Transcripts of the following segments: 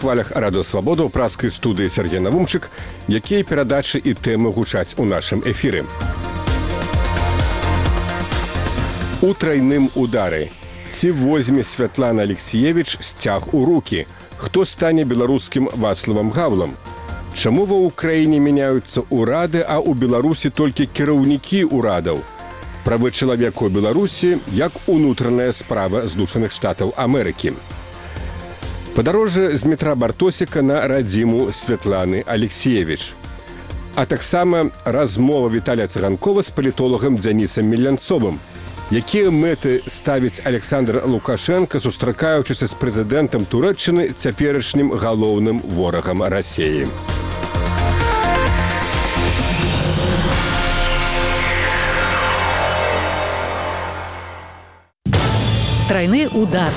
хвалях Радыё Свабода ў праскай студыі Сергей Навумчык, якія перадачы і тэмы гучаць у нашым эфіры. У трайным удары. Ці возьме Святлана Алексіевіч сцяг у рукі? Хто стане беларускім Вацлавам Гаўлам? Чаму ва ўкраіне мяняюцца ўрады, а ў Беларусі толькі кіраўнікі ўрадаў? Правы чалавека ў Беларусі як унутраная справа Злучаных Штатаў Амерыкі. Падарожжа з метра Бартосіка на радзіму Святланы Алексіевіч. А таксама размова Віталія Цыганкова з палітолагам Дзянісам Мелянцовым. Якія мэты ставіць Александр Лукашенко, сустракаючыся з прэзідэнтам Турэччыны, цяперашнім галоўным ворагам Расіі. Трайны удар.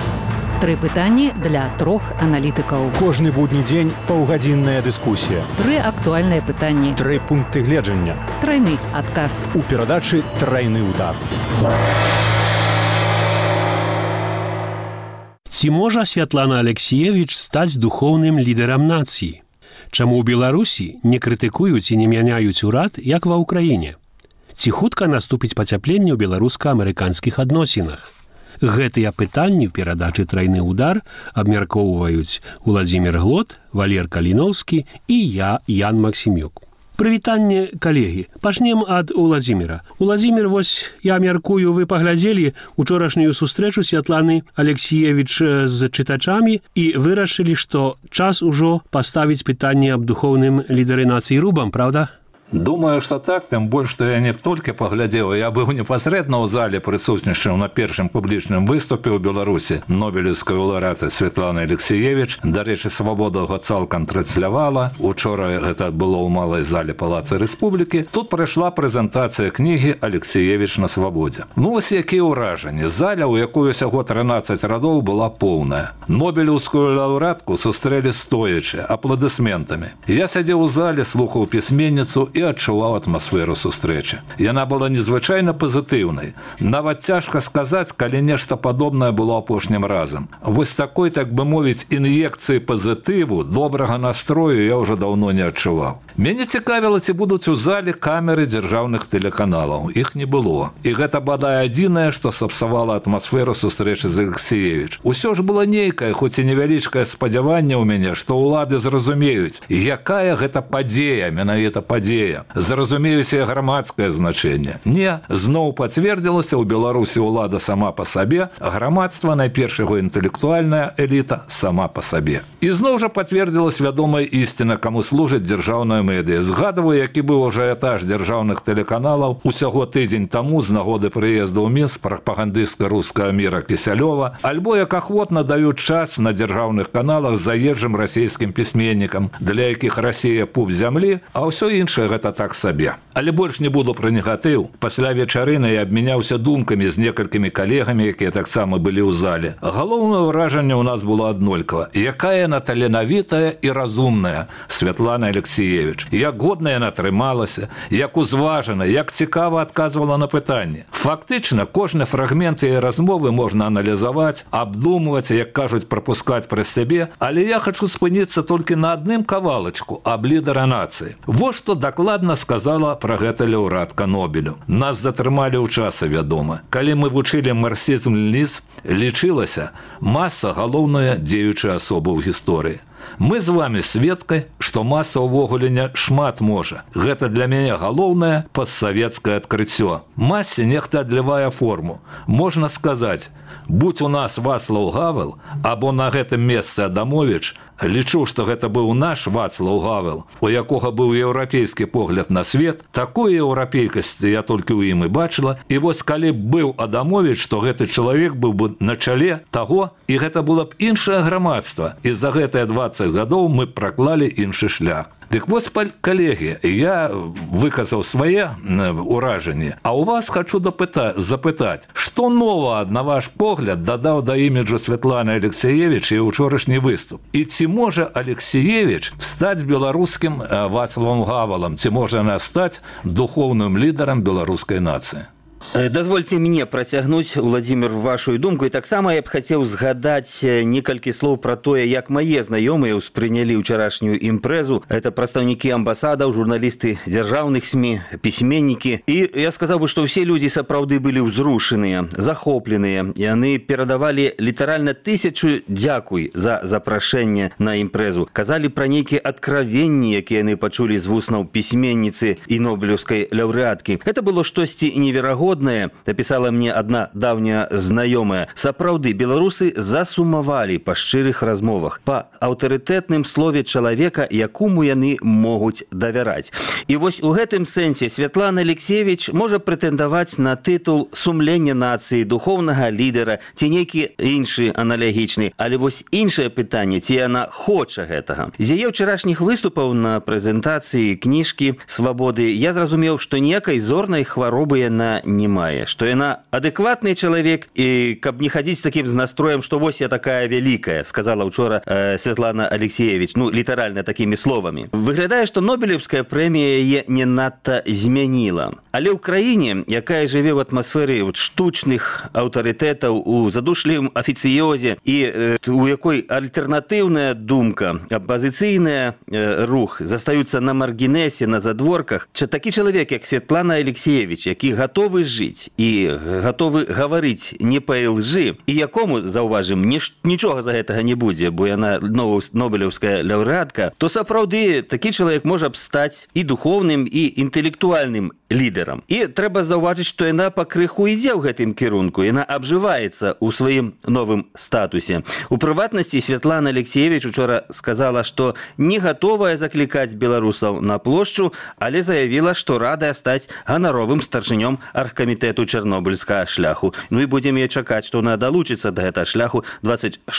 Тры пытанні для трох аналітыкаў. Кожны будні дзень паўгадзінная дыскусія. Тры актуальныя пытанні. Тры пункты гледжання. Трайны адказ. У перадачы «Трайны удар». Ці можа Святлана Алексіевіч стаць духоўным лідарам нацыі? Чаму ў Беларусі не крытыкуюць і не мяняюць урад, як ва ўкраіне? Ці хутка наступіць пацяпленне ў беларуска-амерыканскіх адносінах? Гэтыя пытанні ў перадачы «Трайны удар» абмяркоўваюць Уладзімір Глот, Валер Каліноўскі і я, Ян Максімюк. Прывітанне, калегі. Пачнем ад Уладзіміра. Уладзімір, вось я мяркую, вы паглядзелі учорашнюю сустрэчу Святланы Алексіевіч з чытачамі і вырашылі, што час ужо паставіць пытанне аб духоўным лідары нацыі рубам, правда? Думаю, что так, тем больше, что я не только поглядел, я был непосредственно в зале присутствующим на первом публичном выступе в Беларуси Нобелевской лауреаты Святланы Алексіевіч. До речі, «Свобода» его цалком транслявала. Учора это было в малой зале Палаца Республики. Тут прошла презентация книги «Алексіевіч на свободе». Ну, ось які ураження. Заля, у якої всього 13 радов, была полная. Нобелевскую лауреатку сустрели стоячи, аплодисментами. Я сидел у зале, слухав письменницу і адчуваў атмасферу сустрэчы. Яна была незвычайна пазітыўнай. Нават цяжка сказаць, калі нешта падобнае было апошнім разам. Вось такой, так бы мовіць, ін'екцыі пазітыву, добрага настрою я ўжо даўно не адчуваў. Мяне цікавіла, ці будуць у зале камеры дзяржаўных тэлеканалаў. Іх не было. І гэта бадай адзінае, што сапсавала атмасферу сустрэчы з Алексіевіч. Усё ж было нейкае, хоць і невялічкае спадзяванне ў мяне, што ўлады зразумеюць, якая гэта падзея, менавіта падзея. Зразумеюць і грамадскае значэнне. Не, зноў пацвердзілася, у Беларусі ўлада сама па сабе, а грамадства, найперш яго інтэлектуальная эліта, сама па сабе. І зноў жа пацвердзілась вядомая ісціна, каму служыць дзяржаўная медыя. Згадваю, які быў ажыятаж дзяржаўных тэлеканалаў усяго тыдзень таму з нагоды прыезду ў Мінск прапагандыста рускага міра Кісялёва, альбо як ахвотна даюць час на дзяржаўных каналах заезджым расійскім пісьменнікам, для якіх Расія пуп зямлі, а ўсё іншае гэта так сабе. Але больш не буду пра негатыў. Пасля вечарыны я абмяняўся думкамі з некалькімі калегамі, якія таксама былі ў зале. Галоўнае ўражанне ў нас было аднолькава. Якая яна таленавітая і разумная Святлана Алексіевіч. Як годна яна трымалася, як узважана, як цікава адказвала на пытанні. Фактычна, кожны фрагмент яе размовы можна аналізаваць, абдумваць, як кажуць, прапускаць праз сябе, але я хачу спыніцца толькі на адным кавалачку аб лідара нацыі. Вот што дакладна сказала пра гэта лаўрэатка Нобелю. Нас затрымалі ў часы, вядома. Калі мы вучылі марксізм-ленінізм, лічылася маса галоўная дзеючая асоба ў гісторыі. Мы з вами сведкай, што маса ўвогуле не шмат можа. Гэта для мяне галоўнае постсавецкае адкрыццё. Масе нехта адлівае форму. Можна сказаць, будь у нас Вацлаў Гавел, або на гэтым месцы Адамовіч, лічу, што гэта быў наш Вацлаў Гавел, у якога быў еўрапейскі погляд на свет, такой еўрапейкасці я толькі ў ім і бачыла, і вось калі б быў Адамовіч, то гэты чалавек быў бы на чале таго, і гэта было б іншае грамадства, і за гэтыя 20 гадоў мы праклалі іншы шлях. Дык вось, калегі, я выказаў свае ўражанні, а у вас хочу запытаць, што нова, на ваш погляд, дадаў да іміджу Святланы Алексіевіч і учорашні выступ? І ці можа Алексіевіч стаць беларускім Вацлавам Гавелам, ці можа яна стаць духоўным лідарам беларускай нацыі? Дазвольце мне працягнуць, Владимир, вашу думку. І таксама я б хацеў згадаць некалькі слоў пра тое, як мае знаёмыя ўспрынялі ўчарашнюю імпрэзу. Это прадстаўнікі амбасадаў, журналісты дзяржаўных СМІ, пісьменнікі. І я сказаў бы, што ўсе людзі сапраўды былі ўзрушаныя, захопленыя. Яны перадавалі літаральна 1000 дзякуй за запрашэнне на імпрэзу. Казалі пра нейкія адкравенні, якія яны пачулі з вуснаў пісьменніцы і нобелеўскай лаўрэаткі. Это было штосьці неверагоднае. Написала мне одна давняя знаёмая. Сапраўды, беларусы засумавалі па шчырых размовах, па аўтарытэтным слове чалавека, якому яны могуць давяраць. І вось у гэтым сэнсе Святлана Алексіевіч можа прэтэндаваць на тытул сумлення нацыі, духоўнага лідера ці нейкі іншы аналогічны. Але вось іншае пытанне, ці яна хоча гэтага. З яе ўчарашніх выступаў на прэзентацыі кніжкі «Свабоды» я зразумеў, што ніякай зорнай хваробы яна не мае, што яна адэкватны чалавек, і каб не хадзіць такім з настроем, што вось я такая вялікая, сказала ўчора Святлана Алексіевіч, літаральна такімі словамі. Выглядае, што Нобелеўская прэмія яе не надта змяніла. Але ў краіне, якая жыве ў атмасферы штучных аўтарытэтаў, у задушлівым афіцыёзе і у якой альтэрнатыўная думка, апазіцыйны рух застаюцца на маргінесе, на задворках, такі чалавек, як Святлана Алексіевіч, які гатовы жыць і гатовы гаварыць не па лжы, і якому, заўважым, нічога за гэтага не будзе, бо яна нобелеўская лаўрэатка, то сапраўды такі чалавек можа б стаць і духоўным, і інтэлектуальным лідарам. І трэба заўважыць, што яна пакрыху ідзе ў гэтым кірунку, яна абжываецца ў сваім новым статусе. У прыватнасці Святлана Алексіевіч учора сказала, што не гатовая заклікаць беларусаў на плошчу, але заявіла, што радая стаць ганаровым старшынём аргкамітэту чарнобыльскага шляху. І будзем яе чакаць, што яна далучыцца да гэтага шляху 26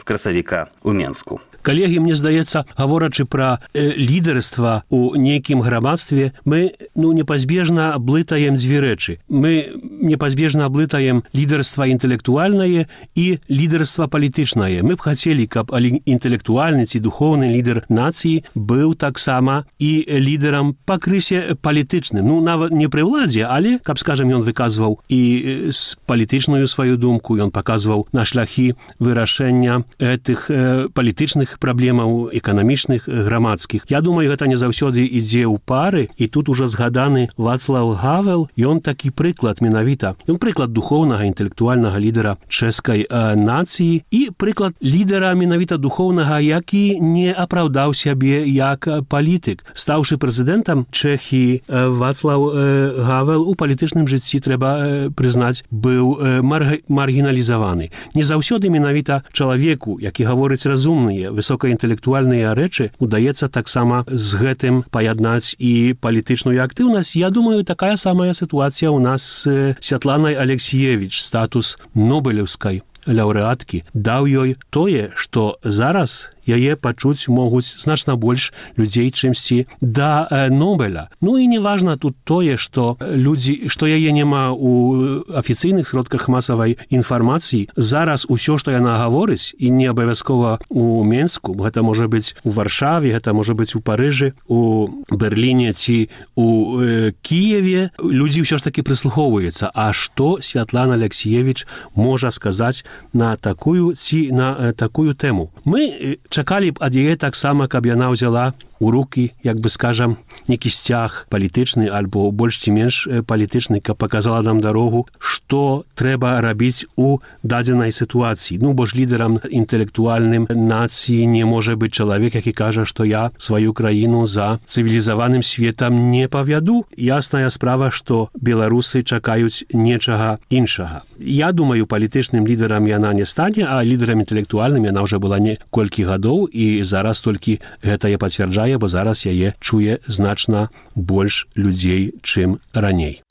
красавіка ў Менску. Калегі, мне здаецца, гаворачы пра лідарства ў нейкім грамадстве, мы непазбежна блытаем дзве рэчы. Мы непазбежна блытаем лідарства інтэлектуальнае і лідарства палітычнае. Мы б хацелі, каб інтэлектуальны ці духоўны лідар нацыі быў таксама і лідарам па крысе палітычным. Нават не пры ўладзе, але, каб, скажам, ён выказваў і палітычную сваю думку, ён паказваў на шляхі вырашэння гэтых палітычных праблемаў эканамічных, грамадскіх. Я думаю, гэта не заўсёды ідзе ў пары, і тут ужо згаданы Вацлаў Гавел, ён такі прыклад менавіта. Ён прыклад духоўнага, інтэлектуальнага лідара чэшскай нацыі і прыклад лідара менавіта духоўнага, які не апраўдаў сябе як палітык. Стаўшы прэзідэнтам Чэхіі, Вацлаў Гавел у палітычным жыцці, трэба прызнаць, быў маргіналізаваны. Не заўсёды менавіта чалавеку, які гаворыць разумныя, высокаінтэлектуальныя рэчы, удаецца таксама з гэтым паяднаць і палітычную актыўнасць. Я думаю, такая самая сітуацыя ў нас з Святланай Алексіевіч. Статус нобелеўскай лаўрэаткі даў ёй тое, што зараз яе пачуць могуць значна больш людзей, чымсьці да Нобеля. І не важна тут тое, што яе няма ў афіцыйных сродках масавай інфармацыі. Зараз усё, што яна гаворыць, і не абавязкова ў Менску, гэта можа быць у Варшаве, гэта можа быць у Парыжы, у Берліне ці у Кіеве, людзі ўсё ж такі прыслухоўваюцца. А што Святлана Алексіевіч можа сказаць на такую ці на такую тэму? Мы чакалі б ад яе таксама, каб яна ўзяла у рукі, як бы скажам, некі сцяг палітычны альбо больш ці менш палітычны, каб паказала нам дарогу, што трэба рабіць у дадзенай сітуацыі. Бо ж лідарам інтэлектуальным нацыі не можа быць чалавек, які кажа, што я сваю краіну за цывілізаваным светам не павяду. Ясная справа, што беларусы чакаюць нечага іншага. Я думаю, палітычным лідарам яна не стане, а лідарам інтэлектуальным яна ўжо была неколькі гадоў, і зараз толькі гэта я пацвярджаю, бо зараз яе чуе значна больш людзей, чым раней.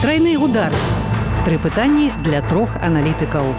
Трайны удар. 3 пытанні для 3 аналітыкаў.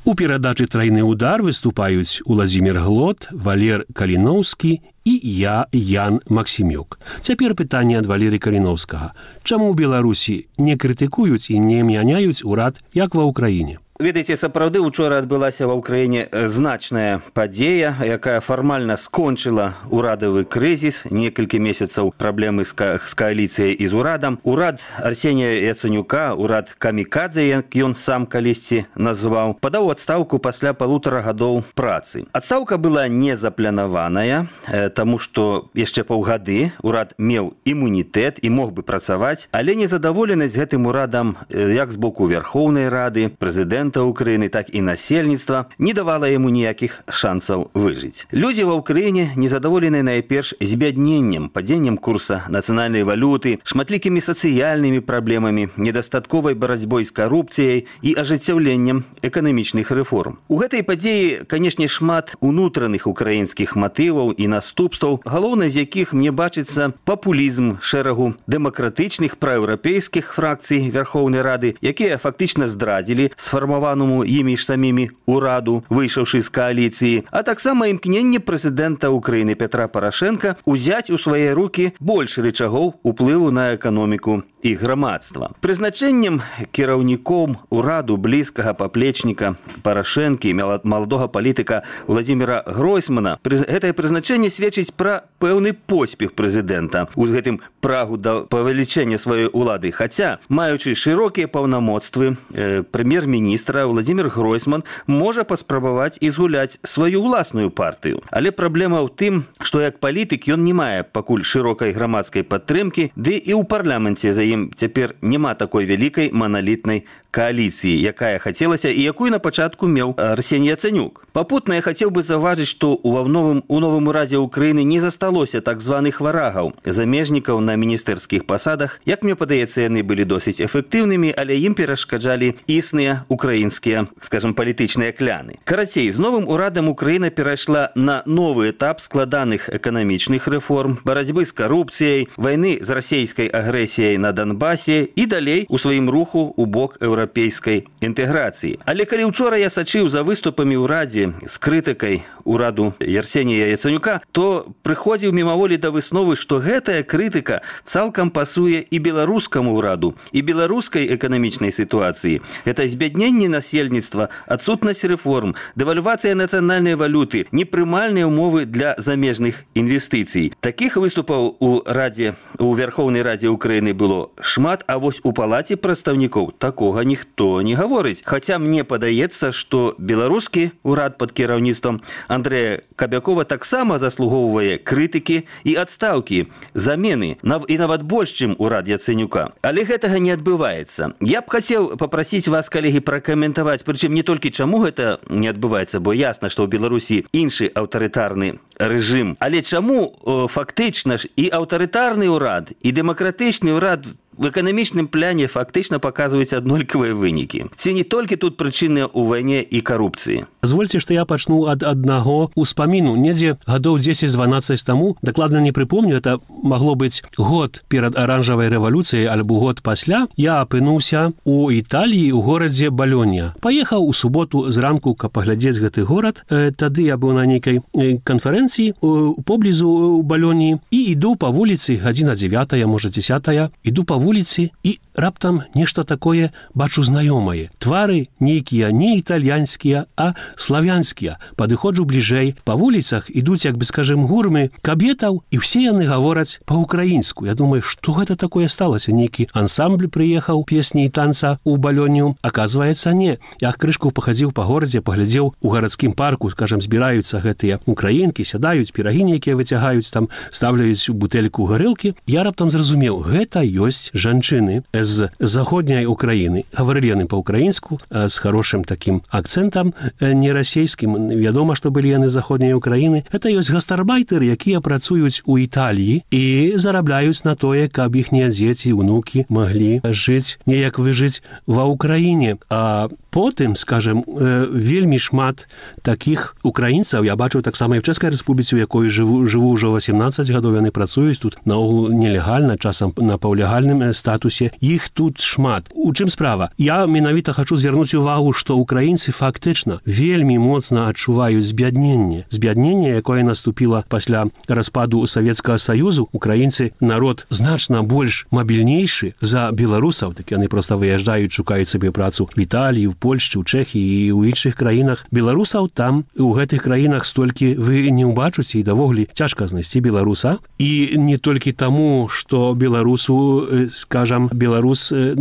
У перадачы «Трайны удар» выступаюць Уладзімір Глот, Валер Каліноўскі і я, Ян Максімюк. Цяпер пытанне ад Валеры Каліноўскага. Чаму ў Беларусі не крытыкуюць і не мяняюць урад, як ва Ўкраіне? Ведаеце, сапраўды учора адбылася ва ўкраіне значная падзея, якая фармальна скончыла урадавы крызіс, некалькі месяцаў праблемы з кааліцыяй і з урадам. Урад Арсенія Яценюка, урад камікадзе, як ён сам калісьці назваў, падаў адстаўку пасля 1,5 гадоў працы. Адстаўка была не запланаваная, таму што яшчэ паўгады урад меў імунітэт і мог бы працаваць, але незадаволенасць гэтым урадам як з боку Верхоўнай Рады, прэзідэнта Украины, так и насельніцтва не давала ему ніякіх шансаў выжыць. Людзі ва ўкраіне незадаволеныя найперш збядненнем, падзеннем курса нацыянальнай валюты, шматлікімі сацыяльнымі праблемамі, недастатковай барацьбой з карупцыяй і ажыццяўленнем эканамічных рэформ. У гэтай падзеі, канешне, шмат унутраных украінскіх матываў і наступстваў, галоўнай з якіх мне бачыцца папулізм шэрагу дэмакратычных праеўрапейскіх фракцый Верхоўнай Рады, якія фактычна здрадзілі сфармаванаму імі ж самімі ураду, выйшаўшы з кааліцыі, а таксама імкненне прэзідэнта Украіны Петра Парашенка узяць у свае рукі больш рычагоў уплыву на эканоміку і грамадства. Прызначэннем кіраўніком ураду блізкага паплечніка Парашэнкі, маладога палітыка Владзіміра Гройсмана, гэтае прызначэнне сведчыць пра пэўны поспех прэзідэнта у гэтым прагу да павелічэння сваёй улады. Хаця, маючы шырокія паўнамоцтвы, прэм'ер-міністра Владзімір Гройсман можа паспрабаваць і згуляць сваю ўласную партыю. Але праблема ў тым, што як палітык ён не мае пакуль шырокай грамадскай падтрымкі, ды і ў парламенце за ім цяпер няма такой вялікай маналітнай кааліцыі, якая хацелася і якую на пачатку меў Арсеній Яценюк. Папутна я хацеў бы заўважыць, што ў новым урадзе Украіны не засталося так званых варагаў, замежнікаў на міністэрскіх пасадах. Як мне падаецца, яны былі досыць эфектыўнымі, але ім перашкаджалі існыя украінскія, скажем, палітычныя кляны. Карацей, з новым урадам Украіна перайшла на новы этап складаных эканамічных рэформ, барацьбы з карупцыяй, вайны з расійскай агрэсіяй на Донбасе і далей у сваім руху ў бок еўрапейскай інтэграцыі. Але калі ўчора я сачыў за выступамі ў Радзе з крытыкай ураду Арсенія Яценюка, то прыходзіў мімаволі да высновы, што гэтая крытыка цалкам пасуе і беларускаму ўраду, і беларускай эканамічнай сітуацыі. Гэта збядненне насельніцтва, адсутнасць рэформ, дэвальвацыя нацыянальнай валюты, непрымальныя ўмовы для замежных інвестыцый. Такіх выступаў у Верхоўнай Радзе Украіны было шмат, а вось у палаце прадстаўнікоў такога ніхто не гаворыць. Хаця мне падаецца, што беларускі урад пад кіраўніцтвам Андрэя Кабякова таксама заслугоўвае крытыкі і адстаўкі, замены, і нават больш, чым урад Яценюка. Але гэтага не адбываецца. Я б хацеў папрасіць вас, калегі, пракаментаваць, прычым не толькі чаму гэта не адбываецца, бо ясна, што ў Беларусі іншы аўтарытарны рэжым. Але чаму фактычна ж і аўтарытарны ўрад, і дэмакратычны ўрад в эканамічным пляне фактычна паказваюць аднолькавыя вынікі. Ці не толькі тут прычыны ў вайне і карупцыі? Позвольте, што я пачну ад аднаго ўспаміну. Недзе гадоў 10-12 таму, дакладна не прыпомню, это магло быць год перад аранжавай рэвалюцыяй альбо год пасля, я апынуўся у Італіі ў горадзе Балёня. Паехаў у суботу зранку, каб паглядзець гэты горад. Тады я быў на нейкай канферэнцыі поблізу у Балёні і іду па вуліцы, гадзіна 9, можа 10, іду па вуліцы і раптам нешта такое бачу знаёмае. Твары нейкія не італьянскія, а славянскія. Падыходжу бліжэй. Па вуліцах ідуць, як бы скажем, гурмы кабетаў, і ўсе яны гавораць па-украінску. Я думаю, што гэта такое сталася? Нейкі ансамбль прыехаў песні і танца ў Балёню. Аказваецца, не. Я крышку пахадзіў па горадзе, паглядзеў у гарадскім парку, скажем, збіраюцца гэтыя украінкі, сядаюць, пірагі нейкія выцягаюць, там ставляюць бутэльку гарэлкі. Я раптам зразумеў, гэта ёсць жанчыны з заходняй Украіны. Гаварылі яны па-украінску, з хорошым такім акцэнтам, не расійскім. Вядома, што былі яны з заходняй Украіны. Это ёсць гастарбайтары, якія працуюць у Італіі і зарабляюць на тое, каб іхнія дзеці, унукі маглі жыць, неяк выжыць ва Украіне. А потым, скажем, вельмі шмат такіх украінцаў, я бачу таксама і в Чэшскай Рэспубліцы, у якой жыву ўжо 18 гадоў, яны працуюць тут наогул нелегальна, часам на паўлегальным статусе. Іх тут шмат. У чым справа? Я менавіта хачу звярнуць увагу, што украінцы фактычна вельмі вельмі моцна адчуваюць збядненне, якое наступіла пасля распаду Савецкага Саюзу. Украінцы народ значна больш мабільнейшы за беларусаў, так яны проста выязджаюць, шукаюць сабе працу в Італіі, в Польшчы, у Чэхіі і ў іншых краінах. Беларусаў там у гэтых краінах столькі вы не ўбачыце, і давогуле цяжка знайсці беларуса. І не толькі таму, што беларус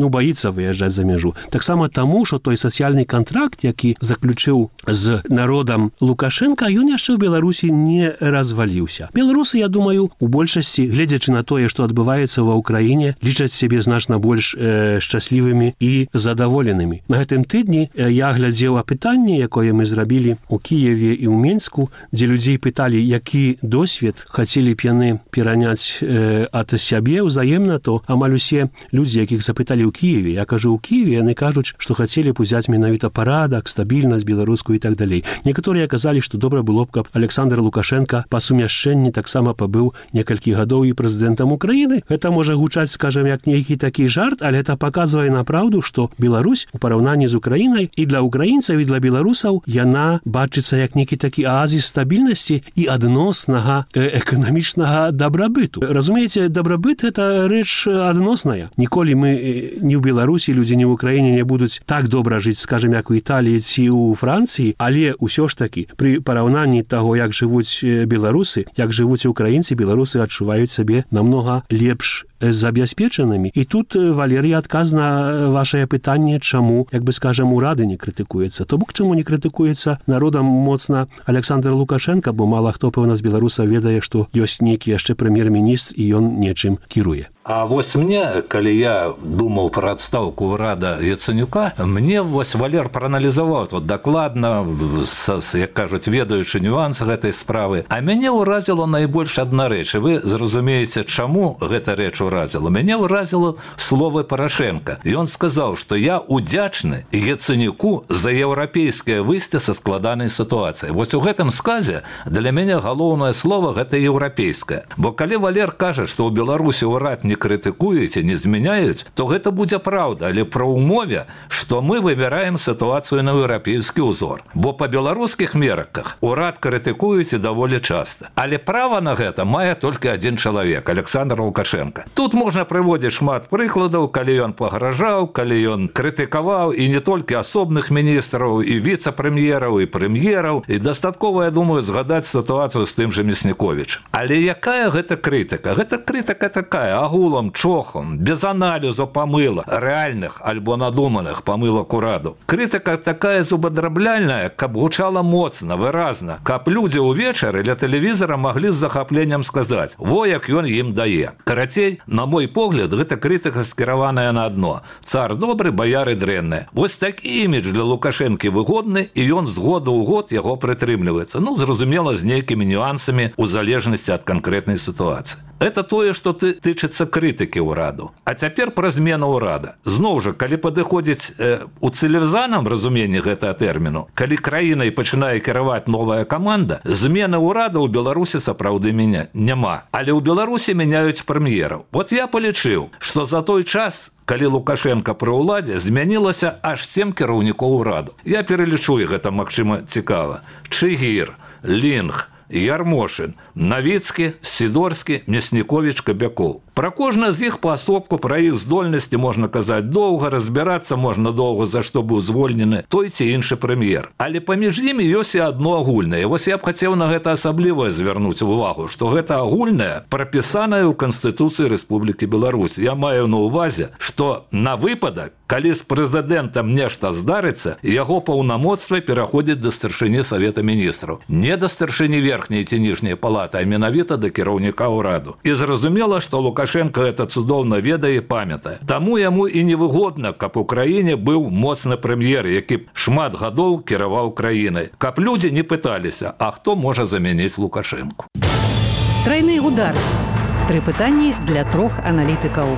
боіцца выязджаць за мяжу. Таксама таму, што той сацыяльны кантракт, які заключыў з народам Лукашенка, ён яшчэ ў Беларусі не разваліўся. Беларусы, я думаю, у большасці, гледзячы на тое, што адбываецца ва ўкраіне, лічаць сябе значна больш шчаслівымі і задаволенымі. На гэтым тыдні я глядзеў апытанне, якое мы зрабілі у Кіеве і ў Менску, дзе людзей пыталі, які досвед хацелі б яны пераняць ад сябе ўзаемна, то амаль усе людзі, якіх запыталі ў Кіеве, я кажу, ў Кіеве яны кажуць, што хацелі б узяць менавіта парадак, стабільнасць беларускую і так далей. Некаторыя казалі, што добра было б, каб Александр Лукашенко па сумяшчэнні таксама пабыў некалькі гадоў і прэзідэнтам Украіны. Гэта можа гучаць, скажам, як нейкі такі жарт, але это паказвае на праўду, што Беларусь у параўнанні з Украінай і для украінцаў, і для беларусаў яна бачыцца як нейкі такі аазіс стабільнасці і адноснага эканамічнага дабрабыту. Разумееце, дабрабыт – это рэч адносная. Ніколі мы ні ў Беларусі, людзі ні ў Украіне не будуць так добра жыць, скажем, як у Італіі ці ў Францыі, але ўсё ж такі пры параўнанні таго, як жывуць беларусы, як жывуць украінцы, беларусы адчуваюць сабе намнога лепш забяспечанымі. І тут, Валерій, адказ на вашае пытанне, чаму, як бы скажем, урады не крытыкуецца. То бок, чаму не крытыкуецца народам моцна Александр Лукашенко, бо мала хто, пэўна, з беларусаў ведае, што ёсць нейкі яшчэ прэм'ер-міністр і ён нечым кіруе. А вось мне, калі я думаў пра адстаўку ўрада Яценюка, мне вось Валер прааналізаваў тут дакладна, як кажуць, ведаючы нюансы гэтай справы. А мяне ўразіла найбольш адна рэч. І вы зразумееце, чаму гэта рэч ўразіла. Мяне ўразіла словы Парашенка. Ён сказаў, што я удзячны Яценюку за еўрапейскае выйсце са складанай сітуацыі. Вось у гэтым сказе для мяне галоўнае слова гэта еўрапейскае. Бо калі Валер кажа, што ў Беларусі ўрад не крытыкуюць і не змяняюць, то гэта будзе праўда, але пра ўмове, што мы выбіраем сітуацыю на еўрапейскі ўзор. Бо па беларускіх мерках урад крытыкуюць і даволі часта. Але права на гэта мае толькі адзін чалавек – Александр Лукашенко. Тут можна прыводзіць шмат прыкладаў, калі ён пагражаў, калі ён крытыкаваў і не толькі асобных міністраў, і віцэ-прэм'ераў, і прэм'ераў. І дастаткова, я думаю, згадаць сітуацыю з тым жа Мясніковічам. Але якая гэта крытыка? Гэта крытыка такая, агулам, чохам, без аналізу памылак, рэальных альбо надуманых памылак ураду. Крытыка такая зубадрабляльная, каб гучала моцна, выразна, каб людзі ўвечары ля тэлевізара маглі з захапленнем сказаць: во як ён ім дае. Карацей, на мой погляд, гэта крытыка скіраваная на адно: цар добры, баяры дрэнныя. Вось такі імідж для Лукашэнкі выгодны, і ён з года ў год яго прытрымліваецца. Ну, зразумела, з нейкімі нюансамі у залежнасці ад канкрэтнай сітуацыі. Это тое, што тычыцца крытыкі ўраду. А цяпер пра змену ўрада. Зноў жа, калі падыходзіць у цывілізаваным разуменні гэтага тэрміну, калі краінай пачынае кіраваць новая каманда, змены ўрада ў Беларусі сапраўды няма. Але ў Беларусі мяняюць прэм'ераў. Вот я палічыў, што за той час, калі Лукашенко пры ўладзе, змянілася аж 7 кіраўнікоў ураду. Я пералічу, і гэта, магчыма, цікава. Чыгір, Лінг, Ярмошин, Навіцкі, Сідорскі, Мясніковіч, Кабякоў. Пра кожны з іх паасобку, пра іх здольнасці можна казаць доўга, разбірацца можна доўга, за што быў звольнены той ці іншы прэм'ер. Але паміж імі ёсць і адно агульнае. Вось я б хацеў на гэта асабліва звярнуць увагу, што гэта агульнае прапісанае ў Канстытуцыі Рэспублікі Беларусь. Я маю на ўвазе, што на выпадак, калі з прэзідэнтам нешта здарыцца, яго паўнамоцтвы пераходзяць да старшыні Савета Міністраў. Не да старшыні верхняй ці ніжняй палаты, а менавіта да кіраўніка ўраду. І зразумела, што Лукашенко гэта цудоўна ведае і памятае. Таму яму і невыгодна, каб у краіне быў моцны прэм'ер, які шмат гадоў кіраваў краінай. Каб людзі не пыталіся, а хто можа замяніць Лукашенку. Трайны удар. 3 пытанні для 3 аналітыкаў.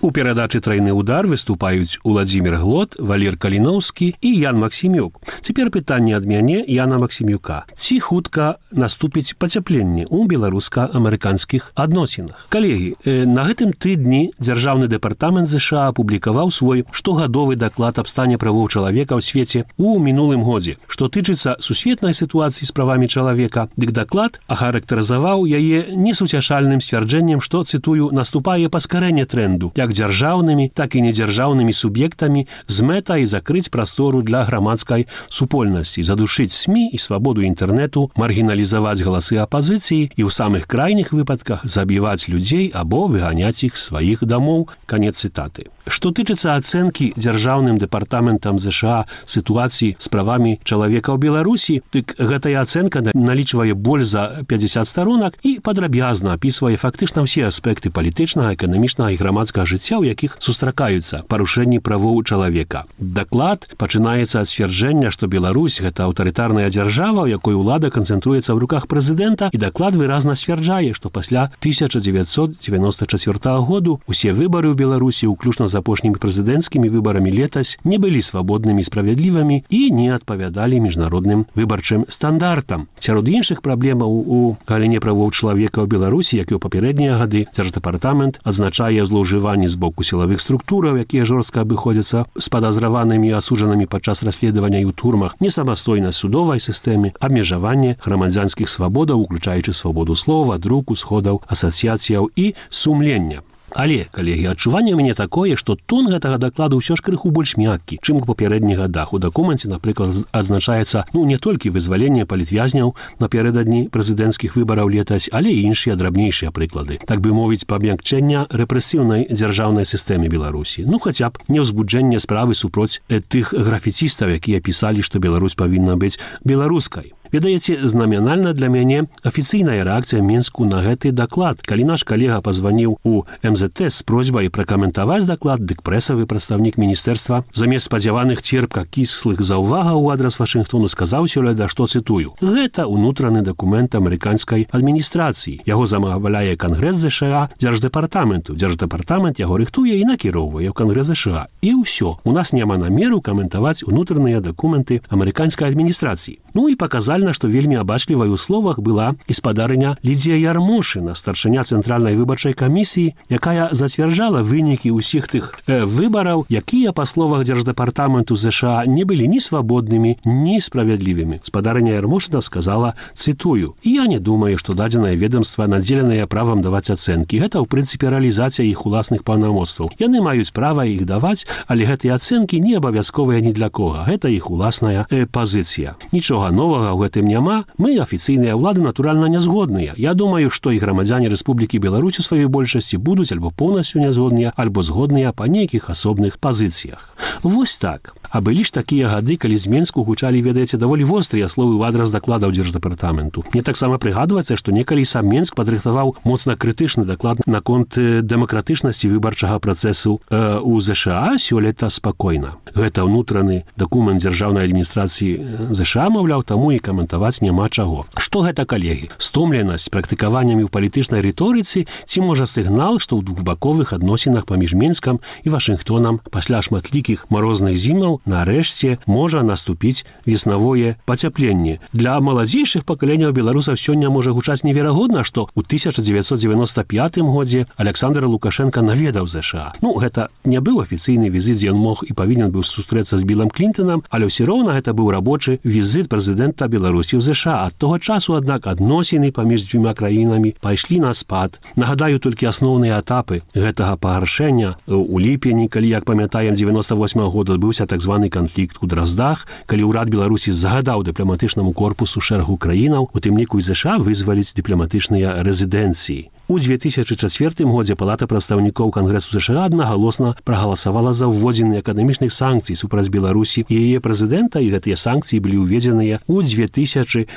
У перадачы «Трайны удар» выступаюць Уладзімір Глот, Валер Каліноўскі і Ян Максімюк. Цяпер пытанне ад мяне Яна Максімюка. Ці хутка наступіць пацяпленне ў беларуска-амерыканскіх адносінах? Калегі, на гэтым тыдні Дзяржаўны дэпартамент ЗША апублікаваў свой штогадовы даклад аб стане правоў чалавека ў свеце ў мінулым годзе. Што тычыцца сусветнай сітуацыі з правамі чалавека, дык даклад ахарактарызаваў яе несуцяшальным сцвярджэннем, што, цытую, наступае паскарэнне трэнду, як дзяржаўнымі, так і недзяржаўнымі суб'ектамі з мэтай закрыць прастору для грамадскай супольнасці, задушыць СМІ і свабоду інтэрнэту, маргіналізаваць галасы апазіцыі і ў самых крайніх выпадках забіваць людзей або выганяць іх з сваіх дамоў. Канец цытаты. Што тычыцца ацэнкі Дзяржаўным дэпартаментам ЗША сітуацыі з правамі чалавека ў Беларусі, дык гэтая ацэнка налічвае больш за 50 старонак і падрабязна апісвае фактычна ўсе аспекты палітычнага, эканамічнага і грамадскага жыцця, у якіх сустракаюцца парушэнні правоў чалавека. Даклад пачынаецца ад сцвярджэння, што Беларусь – гэта аўтарытарная дзяржава, у якой улада канцэнтруецца ў руках прэзідэнта, і даклад выразна сцвярджае, што пасля 1994 году усе выбары ў Беларусі, уключна з апошнімі прэзідэнцкімі выбарамі летась, не былі свабоднымі і справядлівымі і не адпавядалі міжнародным выбарчым стандартам. Сярод іншых праблемаў у галіне правоў чалавека ў Беларусі, як і ў папярэднія гады, Дзярждэпартамент адзначае злоўжыванні з боку сілавых структураў, якія жорстка абыходзяцца з падазраванымі і асуджанымі падчас расследавання і ў турмах, несамастойнасць судовай сістэмы, абмежаванне грамадзянскіх свабодаў, уключаючы свабоду слова, друку, сходаў, асацыяцыяў і сумлення. Але, калегі, адчуванне ў мяне такое, што тон гэтага дакладу ўсё ж крыху больш мяккі, чым у папярэдніх гадах. У дакуменце, напрыклад, адзначаецца не толькі вызваленне палітвязняў напярэдадні прэзідэнцкіх выбараў летась, але і іншыя драбнейшыя прыклады. Так бы мовіць, памякчэння рэпрэсіўнай дзяржаўнай сістэмы Беларусі. Хаця б не ўзбуджэнне справы супроць тых графіцістаў, якія пісалі, што Беларусь павінна быць беларускай. Ведаеце, знаменальна для мяне афіцыйная рэакцыя Мінску на гэты даклад. Калі наш калега пазваніў у МЗТ з просьбай пракаментаваць даклад, дык прэсавы прадстаўнік міністэрства замест спадзяваных церпка-кіслых заўвагаў у адрас Вашынгтону сказаў сёлета, што, цытую, гэта ўнутраны дакумент амерыканскай адміністрацыі. Яго замаўляе Кангрэс ЗША Дзярждэпартаменту. Дзярждэпартамент яго рыхтуе і накіроўвае ў Кангрэс ЗША. І ўсё. У нас няма намеру каментаваць унутраныя дакументы амерыканскай адміністрацыі. І паказальна, што вельмі абачлівай у словах была і спадарыня Лідзія Ярмошына, старшыня Цэнтральнай выбарчай камісіі, якая зацвярджала вынікі ўсіх тых выбараў, якія, па словах Дзярждэпартаменту ЗША, не былі ні свабоднымі, ні справядлівымі. Спадарыня Ярмошына сказала, цытую, «Я не думаю, што дадзенае ведомства надзеленае правам даваць ацэнкі. Гэта, ў прынцыпе, рэалізацыя іх уласных паўнамоцтваў. Яны маюць права іх даваць, але гэтыя ацэнкі не абавязковыя ні для кога. Гэта іх уласная пазіцыя. Нічога новага ў гэтым няма. Мы, афіцыйныя ўлады, натуральна, не згодныя. Я думаю, што і грамадзяне Рэспублікі Беларусь у сваёй большасці будуць альбо поўнасцю нязгодныя, альбо згодныя па нейкіх асобных пазіцыях». Вось так. А былі ж такія гады, калі з Менску гучалі, ведаеце, даволі вострыя словы ў адрас дакладаў Дзярждэпартаменту. Мне таксама прыгадваецца, што некалі сам Менск падрыхтаваў моцна крытычны даклад наконт дэмакратычнасці выбарчага працэсу у ЗША сёлета спакойна. Гэта ўнутраны дакумент дзяржаўнай адміністрацыі ЗША, маўляў, таму і каментаваць няма чаго. Што гэта, калегі? Стомленасць практыкаваннямі ў палітычнай рыторыцы ці, можа, сігнал, што ў двухбаковых адносінах паміж Менскам і Вашынгтонам пасля шматлікіх марозных зімаў нарэшце можа наступіць веснавое пацяпленне. Для маладзейшых пакаленняў беларусаў сёння можа гучаць неверагодна, што ў 1995 годзе Александр Лукашенко наведаў ЗША. Гэта не быў афіцыйны візіт, дзе ён мог і павінен быў сустрэцца з Білам Клінтонам, але ўсё роўна гэта быў рабочы візіт прэзідэнта Беларусі ў ЗША. Ад того часу, аднак, адносіны паміж дзвюма краінамі пайшлі на спад. Нагадаю толькі асноўныя этапы гэтага пагаршэння. У ліпені, калі, як памятаем, 98 года адбыўся так званы канфлікт у Драздах, калі ўрад Беларусі загадаў дыпламатычнаму корпусу шэрагу краінаў, у тым ліку і ЗША вызваліць дыпламатычныя рэзідэнцыі. У 2004 годзе Палата прадстаўнікоў Кангрэсу ЗША аднагалосна прагаласавала за ўводзенне эканамічных санкцый супраць Беларусі і яе прэзідэнта, і гэтыя санкцыі былі ўведзеныя ў 2007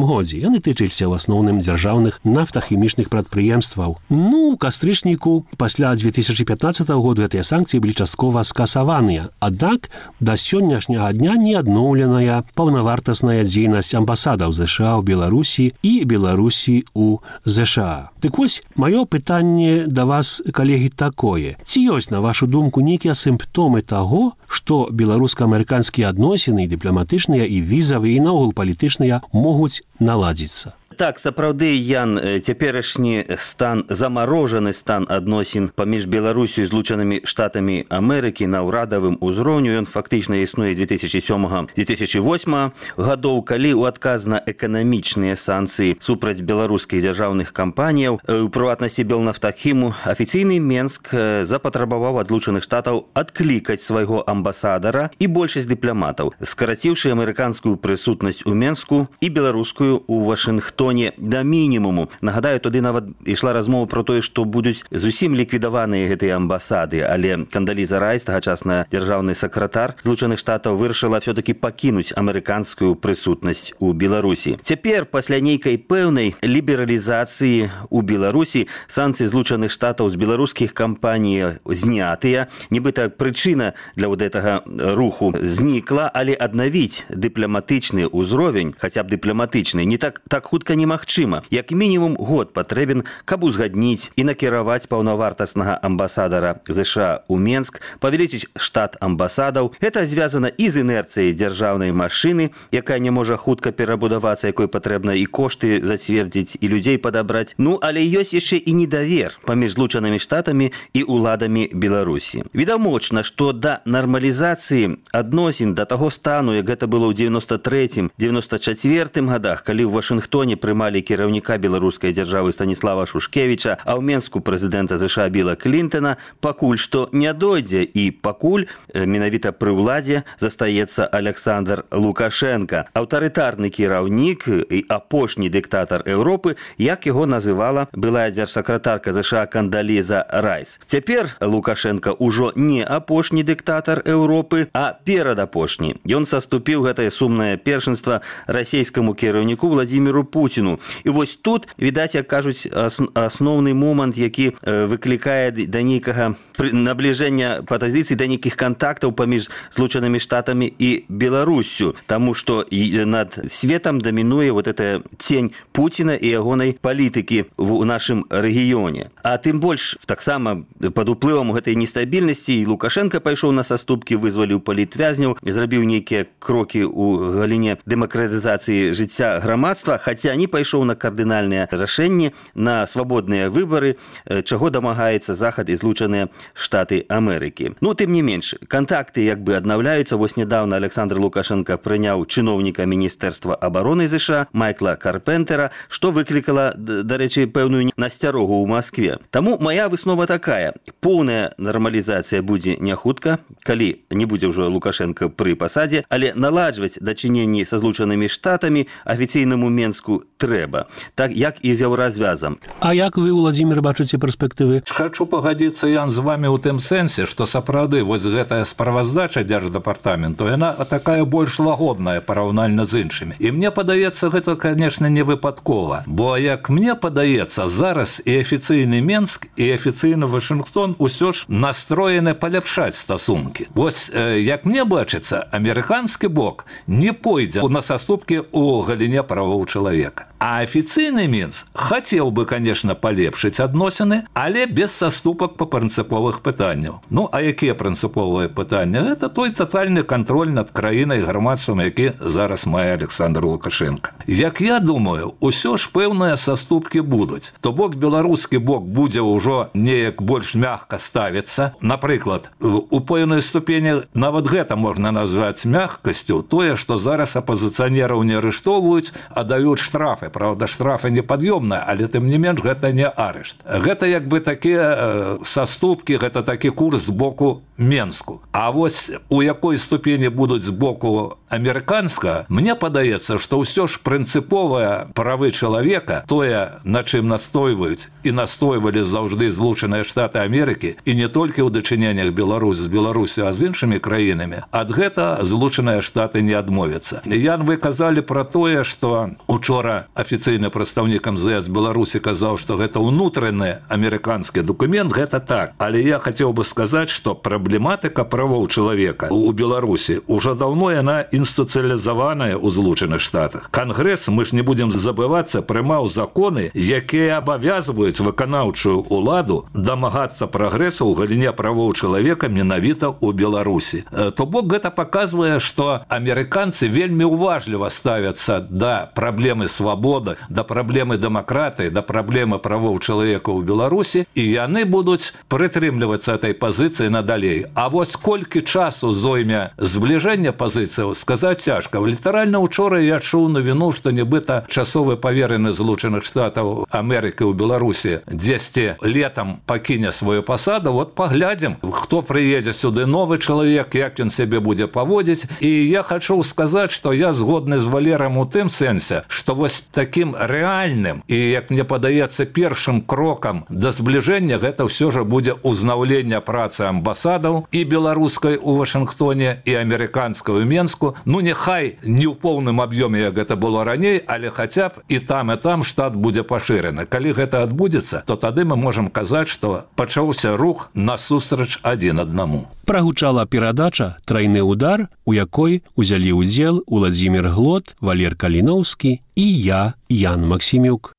годзе. Яны тычыліся ў асноўным дзяржаўных нафтахімічных прадпрыемстваў. У кастрычніку пасля 2015 году гэтыя санкцыі былі часткова скасаваныя. Аднак да сённяшняга дня не адноўленая паўнавартасная дзейнасць амбасадаў ЗША ў Беларусі і Беларусі ў ЗША. Дык вось зрабіць. Маё пытанне да вас, калегі, такое. Ці ёсць, на вашу думку, нейкія сімптомы таго, што беларуска-амерыканскія адносіны, дыпламатычныя і візавыя, і наогул палітычныя, могуць наладзіцца? Так, сапраўды, Ян, цяперашні стан, замарожаны стан адносін паміж Беларусю і Злучанымі Штатамі Амерыкі на ўрадавым узроўню, ён фактычна існуе 2007-2008 гадоў, калі ў адказ на эканамічныя санкцыі супраць беларускіх дзяржаўных кампаніяў, у прыватнасці Белнафтахіму, афіцыйны Менск запатрабаваў ад Злучаных Штатаў адклікаць свайго амбасадара і большасць дыпламатаў, скараціўшы амерыканскую прысутнасць у Менску і беларускую ў Вашынгтоне да мінімуму. Нагадаю, туды нават ішла размова про тое, што будуць зусім ліквідаваныя гэтыя амбасады, але Кандаліза Райс, тагачасная дзяржаўны сакратар Злучаных Штатаў, вырашыла все-таки пакінуць амерыканскую прысутнасць у Беларусі. Цяпер, пасля нейкай пэўнай лібералізацыі у Беларусі, санкцыі Злучаных Штатаў з беларускіх кампаній знятыя. Нібыта прычына для вот гэтага руху знікла, але аднавіць дыпламатычны ўзровень, хаця б дыпламатычны, не так хутка немагчыма. Як мінімум год патрэбен, каб узгадніць і накіраваць паўнавартаснага амбасадара ЗША ў Менск, павялічыць штат амбасадаў. Гэта звязана і з інерцыяй дзяржаўнай машыны, якая не можа хутка перабудавацца, якой патрэбна і кошты зацвердзіць, і людзей падабраць. Ну, але ёсць яшчэ і недавер паміж Злучанымі Штатамі і уладамі Беларусі. Відавочна, што да нармалізацыі адносін да таго стану, як гэта было ў 93-94 годах, калі ў Вашынгтоне прымалі кіраўніка беларускай дзяржавы Станіслава Шушкевіча, а ў Менску прэзідэнта ЗША Біла Клінтона, пакуль што не дойдзе, і пакуль менавіта пры ўладзе застаецца Александр Лукашенко, аўтарытарны кіраўнік і апошні дыктатар Еўропы, як яго называла былая дзяржсакратарка ЗША Кандаліза Райс. Цяпер Лукашенко ўжо не апошні дыктатар Еўропы, а перадапошні. Ён саступіў гэтае сумнае першынства расійскаму кіраўніку Владзіміру Пуціну. І вось тут, відаць, як кажуць, асноўны момант, які выклікае да нейкага набліжэння пазіцый, да нейкіх кантактаў паміж Злучанымі Штатамі і Беларуссю, таму што над светам дамінуе вот эта цень Пуціна і ягонай палітыкі ў нашым рэгіёне. А тым больш, таксама пад уплывам гэтай нестабільнасці і Лукашенко пайшоў на саступкі, вызваліў палітвязняў, зрабіў нейкія крокі ў галіне дэмакратызацыі жыцця грамадства, хаця не пайшоў на кардынальныя рашэнні, на свабодныя выбары, чаго дамагаецца Захад і Злучаныя Штаты Амерыкі. Ну, тым не менш, кантакты як бы аднаўляюцца. Вось нядаўна Александр Лукашенко прыняў чыноўніка Міністэрства абароны ЗША Майкла Карпентера, што выклікала, дарэчы, пэўную насцярогу ў Маскве. Таму мая выснова такая: поўная нармалізацыя будзе не хутка, калі не будзе ўжо Лукашенко пры пасадзе, але наладжваць дачыненні са Злучанымі Штатамі афіцыйнаму Менску трэба, так як і з еўразвязам. А як вы, Владзімір, бачыце перспектывы? Хочу пагадзіцца, Ян, з вами ў тым сэнсе, што сапраўды вось гэтая справаздача Дзярждэпартаменту, яна такая больш лагодная параўнальна з іншымі. І мне падаецца, гэта, конечно, не выпадкова, бо, як мне падаецца, зараз і афіцыйны Менск, і афіцыйны Вашынгтон усё ж настроены паляпшаць стасункі. Вось, як мне бачыцца, амерыканскі бок не пойдзе на саступкі ў галіне правоў чалавека. А афіцыйны Мінск хацеў бы, конечно, палепшыць адносіны, але без саступак па прынцыповых пытанняў. Ну, а якія прынцыповыя пытанні? Гэта той татальны кантроль над краінай, грамадствам, які зараз мае Александр Лукашенко. Як я думаю, усё ж пэўныя саступкі будуць. То бок беларускі бок будзе ўжо неяк больш мягка ставіцца. Напрыклад, у пэўнай ступені нават гэта можна назваць мягкасцю, тое, што зараз апазіцыянераў не арыштоўваюць, а даюць штрафы. Правда, штрафы непад'ёмныя, але тым не менш гэта не арышт. Гэта як бы такія саступкі, гэта такі курс з боку Менску. А вось у якой ступені будуць з боку амерыканска, мне падаецца, што ўсё ж прынцыповыя правы чалавека, тое, на чым настойваюць і настойвалі заўжды Злучаныя Штаты Амерыкі, і не толькі ў дачыненнях Беларусі з Беларусю, а з іншымі краінамі, ад гэта Злучаныя Штаты не адмовяцца. Ян, вы казалі пра тое, што учора афіцыйны прадстаўнік МЗС Беларусі казаў, што гэта ўнутраны амерыканскі документ, гэта так. Але я хацеў бы сказаць, што праблематыка правоў чалавека у Беларусі ўжо даўно яна інстытуцыялізаваная ў Злучаных Штатах. Кангрэс, мы ж не будзем забывацца, прымаў законы, якія абавязваюць выканаўчую ўладу дамагацца прагрэсу ў галіне правоў чалавека менавіта ў Беларусі. То бок гэта паказвае, што амерыканцы вельмі уважліва ставяцца да праблемы свабоды, да праблемы дэмакратыі, да праблемы правоў чалавека ў Беларусі, і яны будуць прытрымлівацца этой пазіцыі надалей. А вось колькі часу зойме збліжэння пазіцыяў, сказаць цяжка. Літаральна учора я чуў навіну, што нібыта часовы паверены Злучаных Штатаў Амерыкі ў Беларусі дзесьці летам пакіне сваю пасаду. Вот паглядзім, хто прыедзе сюды, новы чалавек, як ён сябе будзе паводзіць. І я хачу сказаць, што я згодны з Валерам у тым сэнсе, што вось такім рэальным і, як мне падаецца, першым крокам да збліжэння гэта ўсё ж будзе ўзнаўленне працы амбасадаў і беларускай у Вашынгтоне, і амерыканскай у Менску. Ну, няхай не ў поўным аб'ёме, як гэта было раней, але хаця б і там штат будзе пашыраны. Калі гэта адбудзецца, то тады мы можам казаць, што пачаўся рух насустрач адзін аднаму. Прагучала перадача «Трайны удар», у якой узялі ўдзел Уладзімір Глот, Валер Каліноўскі і я, Ян Максімюк.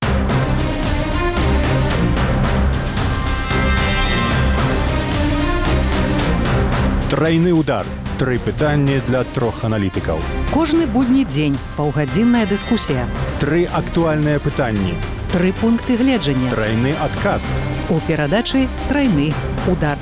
Трайны удар. 3 пытанні для 3 аналітыкаў. Кожны будні дзень паўгадзінная дыскусія. 3 актуальныя пытанні. 3 пункты гледжання. Трайны адказ. У перадачы «Трайны удар».